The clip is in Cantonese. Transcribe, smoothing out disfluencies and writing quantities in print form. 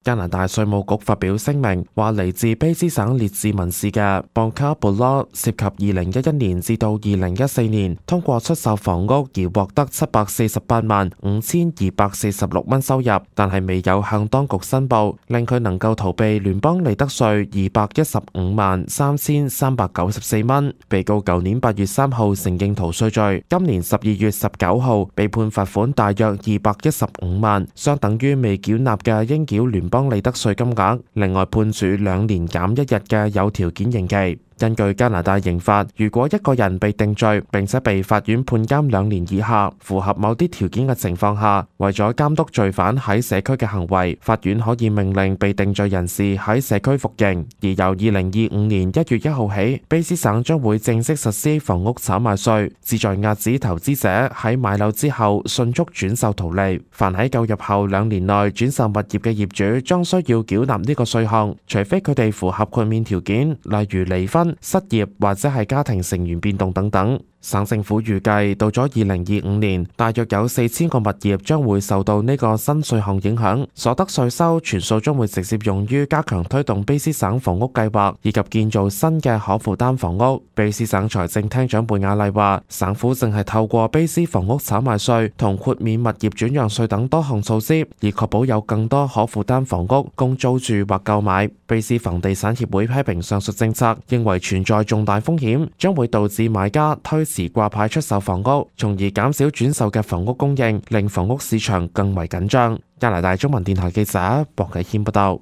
加拿大稅務局發表聲明，話嚟自卑詩省列治文市嘅邦卡布羅涉及2011年至到2014年通過出售房屋而獲得748萬5246蚊收入，但係未有向當局申報，令佢能夠逃避聯邦利得稅215萬3394蚊。被告舊年8月3號承認逃稅罪，今年12月19號被判罰款大約215萬，相等於未繳納嘅應繳聯邦利得稅金額，另外判處2年減1日嘅有條件刑期。根據加拿大刑法，如果一個人被定罪並且被法院判監2年以下，符合某啲條件嘅情況下，為咗監督罪犯喺社區嘅行為，法院可以命令被定罪人士喺社區服刑。而由2025年1月1號起，卑詩省將會正式實施房屋炒賣稅，旨在遏止投資者喺買樓之後迅速轉售圖利。凡喺購入後2年內轉售物業嘅業主，將需要繳納呢個稅項，除非佢哋符合豁免條件，例如離婚、失業或者係家庭成員變動等等。省政府預計到咗2025年，大約有4000個物業將會受到呢個新稅項影響，所得稅收全數將會直接用於加強推動卑詩省房屋計劃以及建造新嘅可負擔房屋。卑詩省財政廳長貝亞麗話，省府正係透過卑詩房屋炒賣稅同豁免物業轉讓稅等多項措施，以確保有更多可負擔房屋供租住或購買。卑詩房地產協會批評上述政策，認為存在重大風險，將會導致買家推遲掛牌出售房屋，從而減少轉售嘅房屋供應，令房屋市場更為緊張。加拿大中文電台記者薄啟謙報道。